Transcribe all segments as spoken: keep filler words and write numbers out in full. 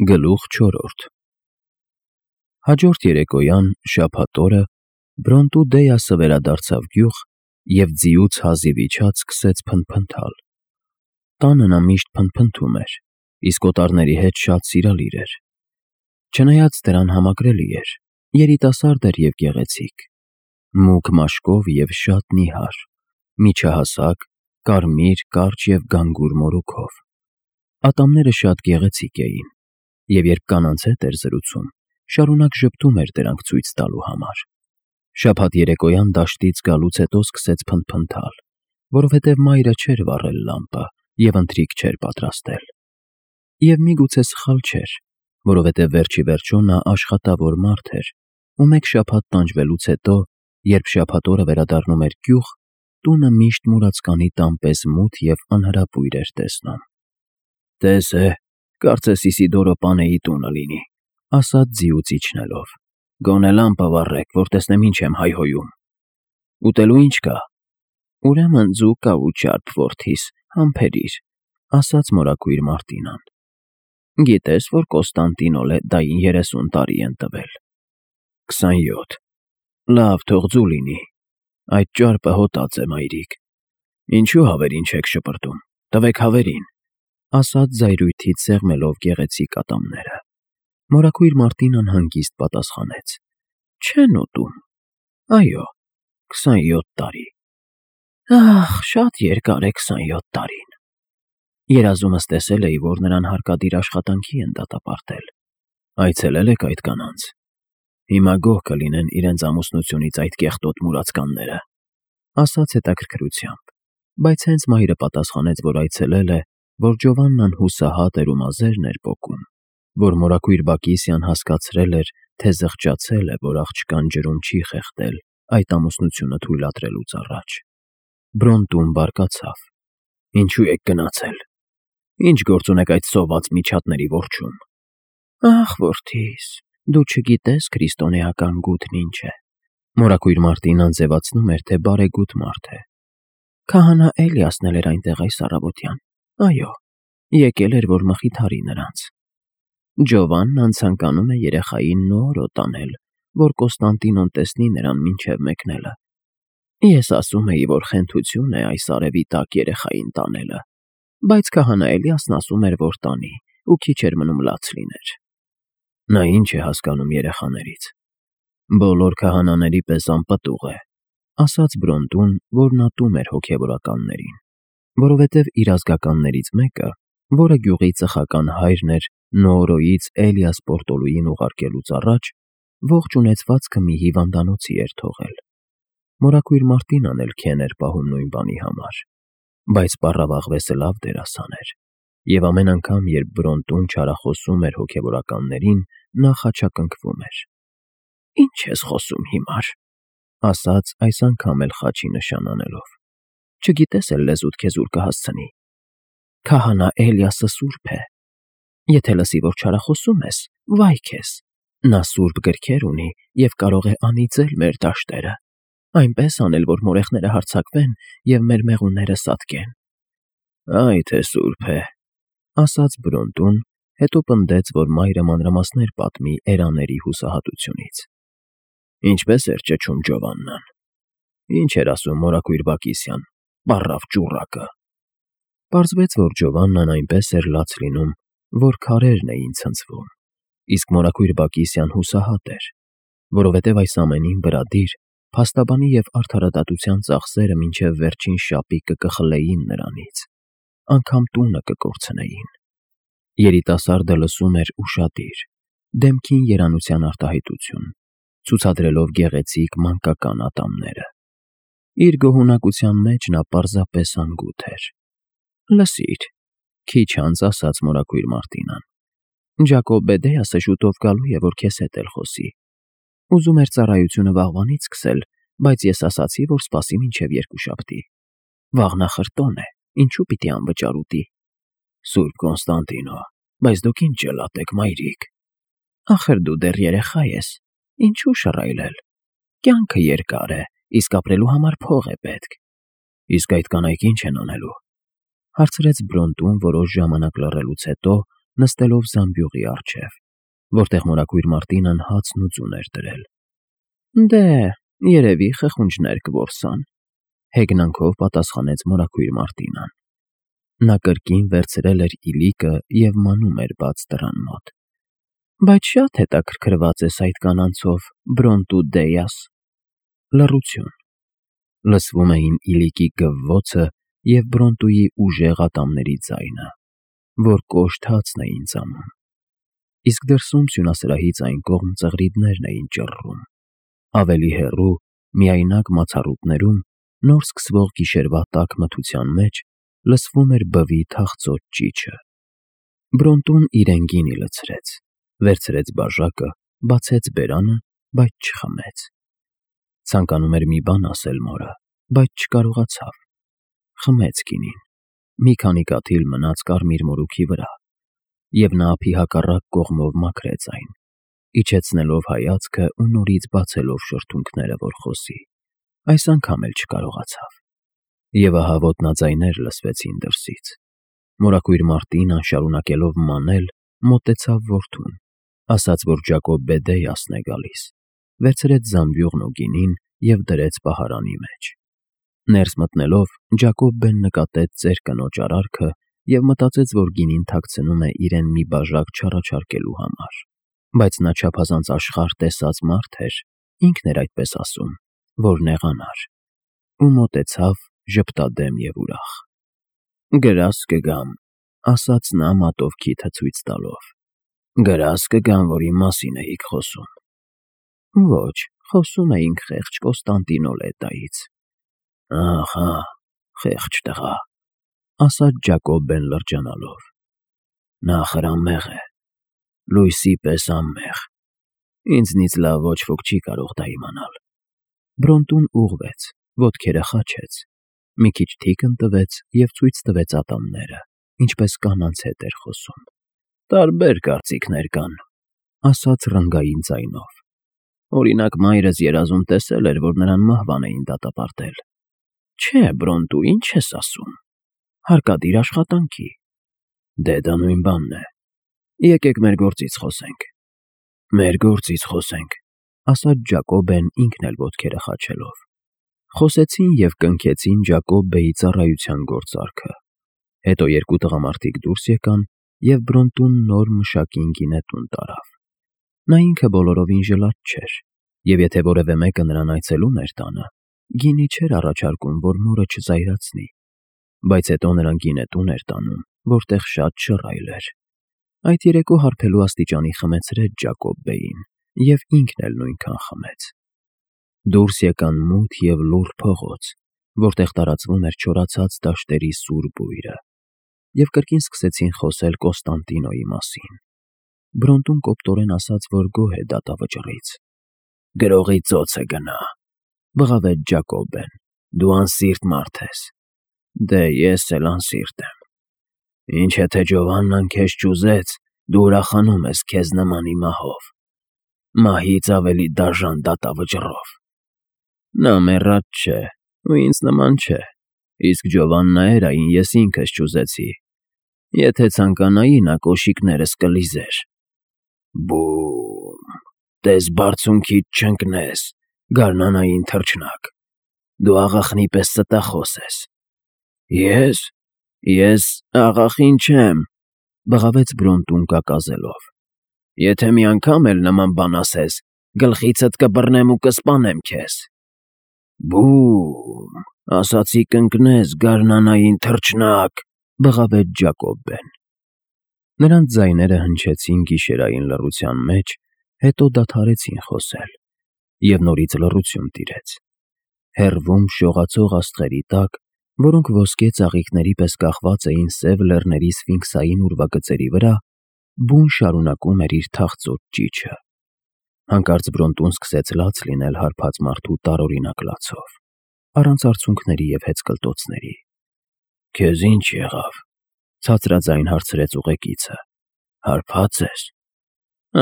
Գլուխ չորրորդ Հաջորդ երեկոյան, շաբաթ օրը, Բրոնտու Դեյասը վերադարձավ գյուղ և ձիուց հազիվ իջած սկսեց փնթփնթալ. տանը նա միշտ փնթփնթում էր, իսկ օտարների հետ շատ սիրալիր էր, չնայած դրան համակրելի էր, երիտասարդ էր և գեղեցիկ, մուգ մաշկով և շատ նիհար, միջահասակ, կարմիր, կարճ և գանգուր մորուքով. ատամները շատ գեղեցիկ էին, և երբ կանանց հետ էր զրուցում, շարունակ ժպտում էր դրանք ցույց տալու համար: Շաբաթ երեկոյան դաշտից գալուց հետո սկսեց փնթփնթալ, որովհետև մայրը չէր վառել լամպը և ընթրիք չէր պատրաստել: Եվ միգուցե սխալ չէր, որովհետև վերջիվերջո նա աշխատավոր մարդ էր ու մեկ շաբաթ տանջվելուց հետո, երբ շաբաթ օրը վերադառնում էր գյուղ, տունը միշտ մուրացկանի տան պես մութ և անհրապույր էր տեսնում: «Տես է, կարծես Իսիդորո պանեի տունը լինի», ասաց ձիուց իջնելով: «Գոնե լամպը վառեք, որ տեսնեմ ինչ եմ հայհոյում: Ուտելու ի՞նչ կա»: «Ուրեմն ձու կա ու ճարպ, որդիս, համբերիր», ասաց մորաքույր Մարտինան: «Գիտես, որ Կոստանդինո Լեդդային երեսուն տարի են տվել»: «Քսանյոթ: Լավ, թող ձու լինի: Այդ ճարպը հոտած է, մայրիկ: Ինչու հավերին չեք շպրտում, տվեք հավերին», ասաց զայրույթից սեղմելով գեղեցիկ ատամները: Մորաքույր Մարտինան հանգիստ պատասխանեց. «Չեն ուտում: Այո, քսանյոթ տարի: Ահ, շատ երկար է քսանյոթ տարին: Երազումս տեսել էի, որ նրան հարկադիր աշխատանքի են դատապարտել: Այցելե՞լ եք այդ կանանց: Հիմա գոհ կլինեն իրենց ամուսնությունից այդ կեղտոտ մուրացկանները», ասաց հետաքրքրությամբ, բայց հենց մայրը պատասխանեց, որ այցելել է, որ Ջովաննան հուսահատ էր ու մազերն էր պոկում, որ մորաքույր Բակիսիան հասկացրել էր, թե զղջացել է, որ աղջկան ջրում չի խեղդել այդ ամուսնությունը թույլատրելուց առաջ: Բրոնտուն բարկացավ. «Ինչու եք գնացել: Ինչ գործ ունեք այդ սոված միջատների որջում»: «Ախ, որդիս, դու չգիտես քրիստոնեական գութն ինչ է»: Մորաքույր Մարտինան ձևացնում էր, թե բարեգութ մարդ է: «Քահանա Էլիասն էլ էր այնտեղ այս առավոտյան, այո, եկել էր, որ մխիթարի նրանց: Ջովաննան ցանկանում է երեխային նորոտ անել, որ Կոստանդինոն տեսնի նրան մինչև մեկնելը: Ես ասում էի, որ խենթություն է այս արևի տակ երեխային տանելը, բայց քահանա Էլիասն ասում էր, որ տանի ու քիչ էր մնում լաց լիներ»: «Նա ի՞նչ է հասկանում երեխաներից: Բոլոր քահանաների պես անպտուղ է», ասաց Բրոնտուն, որն ատում էր հոգևորականներին, որովհետև իր ազգականներից մեկը, որը գյուղի ծխական հայրն էր Նոորոյից Էլիաս Պորտոլուին ուղարկելուց առաջ, ողջ ունեցվածքը մի հիվանդանոցի էր թողել: Մորաքույր Մարտինան էլ քեն էր պահում նույն բանի համար, բայց պառավաղվեսը լավ դերասան էր, և ամեն անգամ, երբ Բրոնտուն չարախոսում էր հոգևորականներին, նա խաչակնկվում էր: «Ի՞նչ ես խոսում հիմար», ասաց այս անգամ էլ խաչի նշան անելով: «Չգիտես էլ լեզուդ քեզ ուր կհասցնի: Քահանա Էլիասը սուրբ է: Եթե լսի, որ չարախոսում ես, վայ քեզ: Նա սուրբ գրքեր ունի և կարող է անիծել մեր դաշտերը, այնպես անել, որ մորեխները հարձակվեն և մեր մեղունները սատկեն»: «Այ թե սուրբ է», ասաց Բրոնտուն, հետո պնդեց, որ մայրը մանրամասներ պատմի էրաների հուսահատությունից: «Ինչպե՞ս էր ճչում Ջովաննան: Ի՞նչ էր ասում մորաքույր Բակիսիան, պառավ ճուռակը»: Պարզվեց, որ Ջովաննան այնպես էր լաց լինում, որ քարերն էին ցնցվում, իսկ մորաքույր Բակիսիան հուսահատ էր, որովհետև այս ամենին բրադիր, փաստաբանի և արդարադատության ծախսերը մինչև վերջին շապիկը կխլեին նրանից, անգամ տունը կկորցնեին: Երիտասարդը լսում էր ուշադիր, դեմքին երանության արտահայտություն, ցուցադրելով գեղեցիկ մանկական ատամները: Իր գոհունակության մեջ նա պարզապես անգութ էր: «Լսիր», քիչ անց ասաց մորաքույր Մարտինան, «Ջակոբե Դեյասը շուտով գալու է, որ քեզ հետ էլ խոսի: Ուզում էր ծառայությունը վաղվանից սկսել, բայց ես ասացի, որ սպասի մինչև երկուշաբթի: Վաղ նախրտոն է, ինչու պիտի անվճար ուտի»: «Սուրբ Կոնստանտինո, բայց դուք ինչ ջլատ եք, մայրիկ»: «Ախր դու դեռ երեխա ես, ինչու շռայլել: Կյանքը երկար է, իսկ ապրելու համար փող է պետք»: «Իսկ այդ կանայք ի՞նչ են անելու»: հարցրեց Բրոնտուն որոշ ժամանակ լռելուց հետո, նստելով զամբյուղի առջև, որտեղ մորաքույր Մարտինան հացն ու ձուն էր դրել։ Դե, երևի խխունջներ կորսան, հեգնանքով պատասխանեց մորաքույր Մարտինան։ Նա կրկին վերցրել էր իլիկը և մանում էր բաց դռան մոտ։ Բայց շատ հետաքրքրված ես այդ կանանցով, Բրոնտու Դեյաս։ Լռություն։ Լսվում էին իլիկի գվվոցը և Բրոնտուի ուժեղ ատամների ձայնը, որ կոշտ հացն էին ծամում։ Իսկ դրսում սյունասրահից այն կողմ ծղրիդներն էին ճռռում։ Ավելի հեռու, միայնակ մացառուտներում, նոր սկսվող գիշերվա տաք մթության մեջ լսվում էր բվի թախծոց ճիչը։ Բրոնտուն իրեն գինի լցրեց, վերցրեց բաժակը, բացեց բերանը, բայց չխմեց։ Ցանկանում էր մի բան ասել մորը, բայց չկարողացավ։ Խմեց գինին, մի քանի կաթիլ մնաց կարմիր մորուքի վրա, և նա ափի հակառակ կողմով մաքրեց այն, իջեցնելով հայացքը ու նորից բացելով շրթունքները, որ խոսի։ Այս անգամ էլ չկարողացավ։ Եվ ահա ոտնաձայներ լսվեցին դրսից։ Մորաքույր Մարտինան, շարունակելով մանել, մոտեցավ որդուն, ասաց, որ Ջակոբ Դեյասն է գալիս, վերցրեց զամբյուղն ու գինին և դրեց պահարանի մեջ։ Ներս մտնելով, Ջակոբն նկատեց ծեր կնոջ արարքը և մտածեց, որ գինին թաքցնում է իրեն մի բաժակ չառաջարկելու համար։ Բայց նա չափազանց աշխարհ տեսած մարդ էր, ինքն էր այդպես ասում, որ նեղանար, ու մոտեցավ ժպտադեմ և ուրախ։ Գրազ կգամ, ասաց նա մատով քիթը ցույց տալով։ Գրազ կգամ, որ իմ մասին էիք խոսում։ Ոչ, խոսում էինք խեղճ Կոստանդինոլետայից։ Ահա, խեղճ տղա, ասաց Ջակոբն լրջանալով։ Նա խրամեղ է, լույսի պես անմեղ։ Ինձնից լավ ոչ ոք չի կարող դա իմանալ։ Բրոնտուն ուղղվեց, ոտքերը խաչեց, մի քիչ թիկն տվեց և ցույց տվեց ատամները, ինչպես կանանց հետ էր խոսում։ Տարբեր կարծիքներ կան, ասաց ռնգային ձայնով։ Օրինակ, մայրս երազում տեսել էր, որ նրան մահվան էին դատապարտել։ Չէ, Բրոնտու, ինչ ես ասում։ Հարկադիր աշխատանքի։ Դե դա նույն բանն է։ Եկեք մեր գործից խոսենք։ Մեր գործից խոսենք, ասաց Ջակոբն ինքն էլ ոտքերը խաչելով։ Խոսեցին և կնքեցին Ջակոբբեի ծառայության գործարքը։ Հետո երկու տղամարդիկ դուրս եկան, և Բրոնտուն նոր մշակին գինետուն տարավ։ Նա ինքը բոլորովին ժլատ չէր, և եթե որևէ մեկը նրան այցելում էր տանը, գինի չէր առաջարկում, որ մորը չզայրացնի։ Բայց հետո նրան գինետուն էր տանում, որտեղ շատ շռայլ էր։ Այդ երեկո հարբելու աստիճանի խմեցրեց Ջակոբբեին, և ինքն էլ նույնքան խմեց։ Դուրս եկան մութ և լուռ փողոց, որտեղ տարածվում էր չորացած դաշտերի սուր բույրը, և կրկին սկսեցին խոսել Կոստանդինոյի մասին։ Բրոնտուն կոպտորեն ասաց, որ գոհ է դատավճռից։ Գրողի ծոցը գնա, բղավեց Ջակոբն, դու անսիրտ մարդ ես։ Դե ես էլ անսիրտ եմ։ Ինչ եթե Ջովաննան քեզ չուզեց, դու ուրախանում ես քեզ նմանի մահով, մահից ավելի դաժան դատավճռով։ Նա մեռած չէ ու ինձ նման չէ, իսկ Ջովաննա Էրային ես ինքս չուզեցի։ Եթե ցանկանայի, նա կոշիկներս կլիզեր։ Բու՜մ, տես բարձունքիդ չընկնես, գարնանային թռչնակ, դու աղախնի պես ստախոս ես։ Ես, ես աղախին չեմ, բղավեց Բրոնտուն կակազելով։ Եթե մի անգամ էլ նման բան ասես, գլխիցդ կբռնեմ ու կսպանեմ քեզ։ Բու՜մ, ասացի կընկնես, գարնանային թռչնակ, բղավեց Ջակոբն։ Նրանց ձայները հնչեցին գիշերային լռության մեջ, հետո դադարեցին խոսել, և նորից լռություն տիրեց։ Հեռվում շողացող աստղերի տակ, որոնք ոսկե ծաղիկների պես կախված էին սև լեռների սֆինքսային ուրվագծերի վրա, բուն շարունակում էր իր թախծոց ճիչը։ Հանկարծ Բրոնտուն սկսեց լաց լինել հարբած մարդու տարօրինակ լացով, առանց արցունքների և հեծկլտոցների։ Քեզ ինչ եղավ, ցածրաձայն հարցրեց ուղեկիցը։ Հարբա՞ծ ես։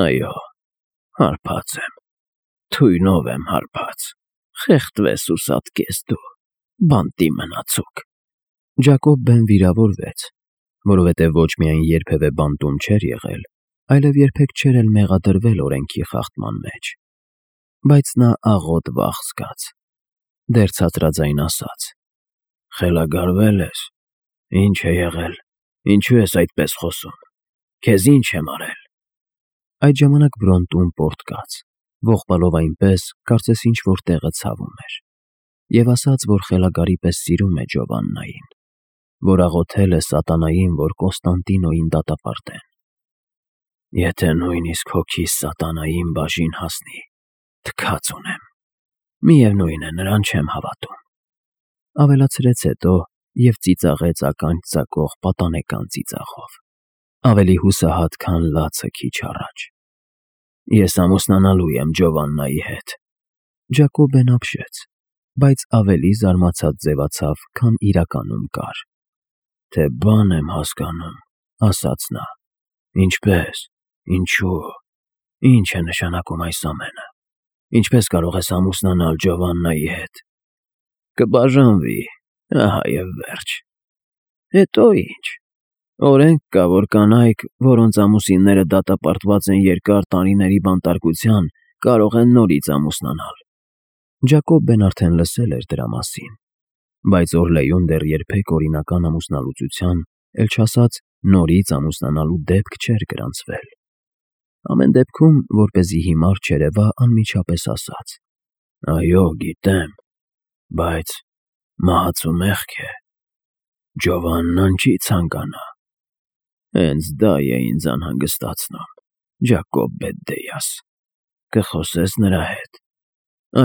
Այո, հարբած եմ, թույնով եմ հարբած, խեղդվես ու սատկես դու, բանտի մնացուկ։ Ջակոբն վիրավորվեց, որովհետև ոչ միայն երբևէ բանտում չէր եղել, այլև երբեք չէր էլ մեղադրվել օրենքի խախտման մեջ։ Բայց նա աղոտ վախ զգաց, դեռ ցածրաձայն ասաց. «Խելագարվե՞լ ես, ի՞նչ է եղել, ինչու ես այդպես խոսում, քեզ ի՞նչ եմ արել»։ Այդ ժամանակ Բրոնտուն պոռթկաց, ողբալով այնպես, կարծես ինչ-որ տեղը ցավում էր, և ասաց, որ խելագարի պես սիրում է Ջովաննային, որ աղոթել է սատանային, որ Կոստանդինոյին դատապարտեն։ «Եթե նույնիսկ հոգիս սատանային բաժին հասնի, թքած ունեմ, միևնույն է, նրան չեմ հավատում», ավելացրեց հետո և ծիծաղեց ականջ ծակող պատանեկան ծիծաղով, ավելի հուսահատ, քան լացը քիչ առաջ։ «Ես ամուսնանալու եմ Ջովաննայի հետ»։ Ջակոբն ապշեց, բայց ավելի զարմացած ձևացավ, քան իրականում կար։ «Թե բան եմ հասկանում», ասաց նա։ «Ինչպե՞ս, ինչու, ի՞նչ է նշանակում այս ամենը, ինչպե՞ս կարող ես ամուսնանալ Ջովաննայի հետ»։ «Կբաժանվի, ահա և վերջ»։ «Հետո ի՞նչ։ Օրենք կա, որ կանայք, որոնց ամուսինները դատապարտված են երկար տարիների բանտարկության, կարող են նորից ամուսնանալ»։ Ջակոբն արդեն լսել էր դրա մասին, բայց Օրլեյում դեռ երբեք օրինական ամուսնալուծության, էլ չասած նորից ամուսնանալու դեպք չէր գրանցվել։ Ամեն դեպքում, որպեսզի հիմար չերևա, անմիջապես ասաց. «Այո, գիտեմ, բայց մահացու մեղք է, Ջովաննան չի ցանկանա»։ «Հենց դա է ինձ անհանգստացնում, Ջակոբ Բեդդեաս, կխոսե՞ս նրա հետ»։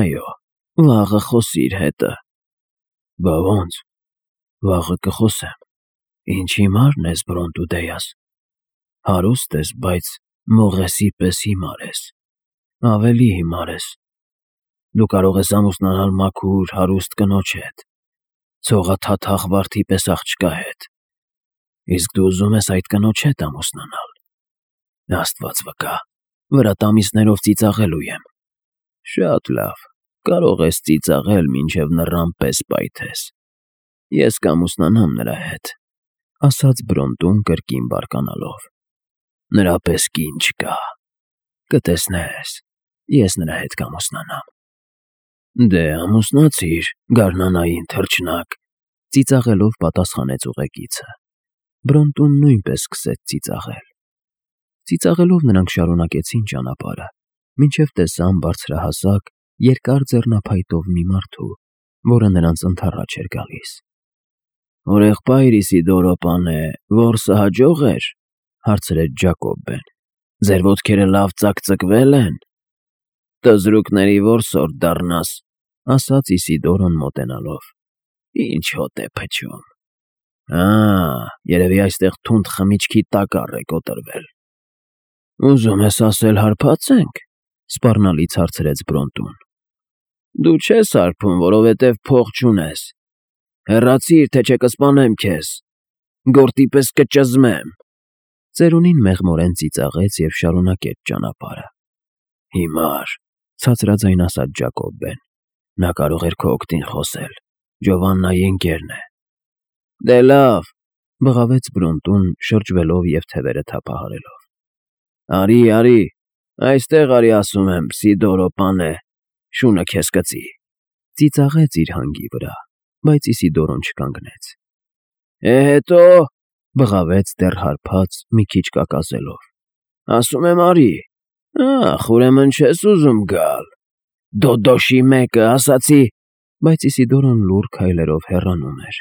«Այո, վաղը խոսիր հետը»։ «Բա ո՞նց, վաղը կխոսեմ, ինչ հիմարն ես, Բրոնտուդեաս, հարուստ ես, բայց մողեսի պես հիմար ես, ավելի հիմար ես։ Դու կարող ես ամուսնանալ մաքուր, հարուստ կնոջ հետ, ցողաթաթախ վարդի պես աղջկա հետ, իսկ դու ուզում ես այդ կնոջ հետ ամուսնանալ։ Աստված վկա, վրատ ամիսներով ծիծաղելու եմ։ Շատ լավ, կարող ես ծիծաղել, մինչև նռան պես պայթես։ Ես կամուսնանամ նրա հետ», ասաց Բրոնտուն կրկին բարկանալով։ «Նրա պես կին չկա, կտեսնես, ես նրա հետ կամուսնանամ»։ «Դե ամուսնացիր, գարնանային թռչնակ», ծիծաղելով պատասխանեց ուղեկիցը։ Բրոնտուն նույնպես սկսեց ծիծաղել։ Ծիծաղելով նրանք շարունակեցին ճանապարհը, մինչև տեսան բարձրահասակ, երկար ձեռնափայտով մի մարդու, որը նրանց ընդառաջ էր գալիս։ «Հորեղբայր Իսիդորո պանը, որսը հաջող էր», հարցրեց Ջակոբն։ «Ձեր ոտքերը լավ ծակծկվե՞լ են»։ «Տզրուկների որսորդ դառնաս», ասաց Իսիդորոն մոտենալով։ «Ինչ հոտ է փչում։ Ա, երևի այստեղ թունդ խմիչքի տակառ է կոտրվել»։ «Ուզում ես ասել հարբա՞ծ ենք», սպառնալից հարցրեց Բրոնտուն։ «Դու չես հարբում, որովհետև փող չունես։ Հեռացիր, թե չէ կսպանեմ քեզ, գորտի պես կճզմեմ»։ Ծերունին մեղմորեն ծիծաղեց և շարունակեց ճանապարհը։ «Հիմար», ցածրաձայն ասաց Ջակոբն։ «Նա կարող էր քո օգտին խոսել, Ջովաննայի ընկերն է»։ «Դե լավ», բղավեց Բրոնտուն, շրջվելով և թևերը թափահարելով։ «Արի, արի, այստեղ արի, ասում եմ, Սիդորո պանը, շունը քեզ կծի»։ Ծիծաղեց իր հանգի վրա, բայց Իսիդորոն չկանգնեց։ «Է հետո», բղավեց դեռ հարբած, մի քիչ կակազելով։ «Ասում եմ արի։ Ախ, ուրեմն չես ուզում գալ։ Դոդոշի մեկը, ասացի»։ Բայց Իսիդորոն լուռ քայլերով հեռանում էր։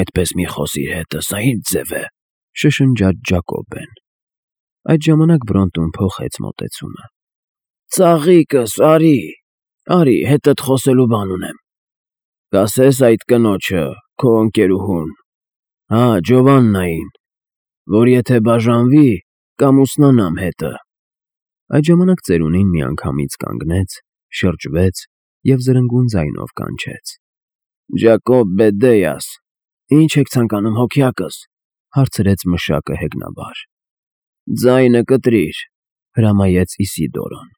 «Այդպես մի խոսիր հետը, սա ի՞նչ ձև է», շշնջաց Ջակոբն։ Այդ ժամանակ Բրոնտուն փոխեց մոտեցումը։ «Ծաղիկս, արի, արի, հետդ խոսելու բան ունեմ։ Կասես այդ կնոջը, քո ընկերուհուն, հա, Ջովաննային, որ եթե բաժանվի, կամուսնանամ հետը»։ Այդ ժամանակ ծերունին միանգամից կանգնեց, շրջվեց և զրնգուն ձայնով կանչեց. «Ջակոբ Բեդդեաս, ի՞նչ եք ցանկանում, հոգյակս», հարցրեց մշակը հեգնաբար։ «Ձայնը կտրիր», հրամայեց Իսիդորոն։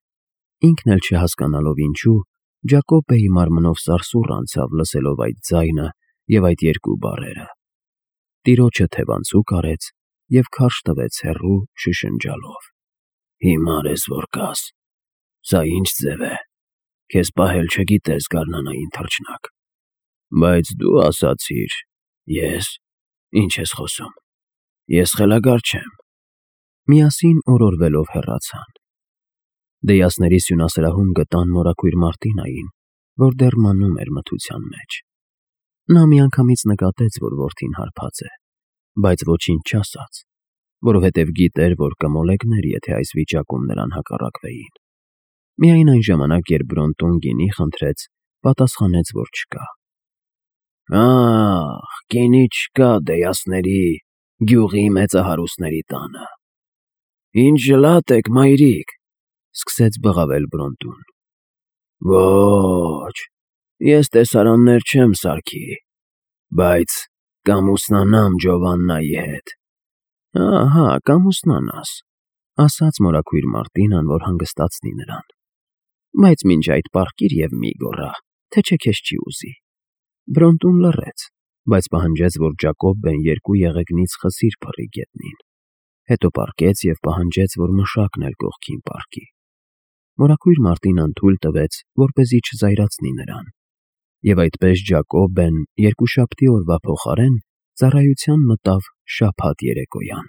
Ինքն էլ չհասկանալով ինչու, Ջակոբը հիմար մնով սարսուռ անցավ լսելով այդ ձայնը և այդ երկու բառերը։ տիրոջը թևանցուկ արեց և քարշ տվեց հեռու շշնջալով. «Հիմար ես որ կաս, սա ի՞նչ ձև է, քեզ պահել չգիտես գարնանային թռչնակ, բայց դու ասացիր, ես, ի՞նչ ես խոսում, ես խելագար չեմ»։ Միասին օրորվելով հեռացան։ Դեյասների սյունասրահում գտան մորաքույր Մարտինային, որ դեռ մանում էր մթության մեջ։ Նա միանգամից նկատեց, որ որդին հարբած է, բայց ոչինչ չասաց, որովհետև գիտեր, որ կմոլեգներ, եթե այս վիճակում նրան հակառակվեին։ Միայն այն ժամանակ, երբ Բրոնտուն գինի խնդրեց, պատասխանեց, որ չկա։ «Ա՜խ, գինի չկա Դեյասների, գյուղի մեծահարուստների տանը։ Ինչ ժլատ եք, մայրիկ», սկսեց բղավել Բրոնտուն։ «Ոչ, ես տեսարաններ չեմ սարքի, բայց կամուսնանամ Ջովաննայի հետ»։ «Ահա, կամուսնանաս», ասաց մորաքույր Մարտինան, որ հանգստացնի նրան, «բայց մինչ այդ պառկիր և մի գոռա, թե չէ քեզ չի ուզի»։ Բրոնտուն լռեց, բայց պահանջեց, որ Ջակոբբեն երկու եղեգնից խսիր փռի գետնին, հետո պառկեց և պահանջեց, որ մշակն էլ կողքին պառկի։ Մորաքույր Մարտինան թույլ տվեց, որպեսզի չզայրացնի նրան, և այդպես Ջակոբբեն երկուշաբթի օրվա փոխարեն ծառայության մտավ շաբաթ երեկոյան։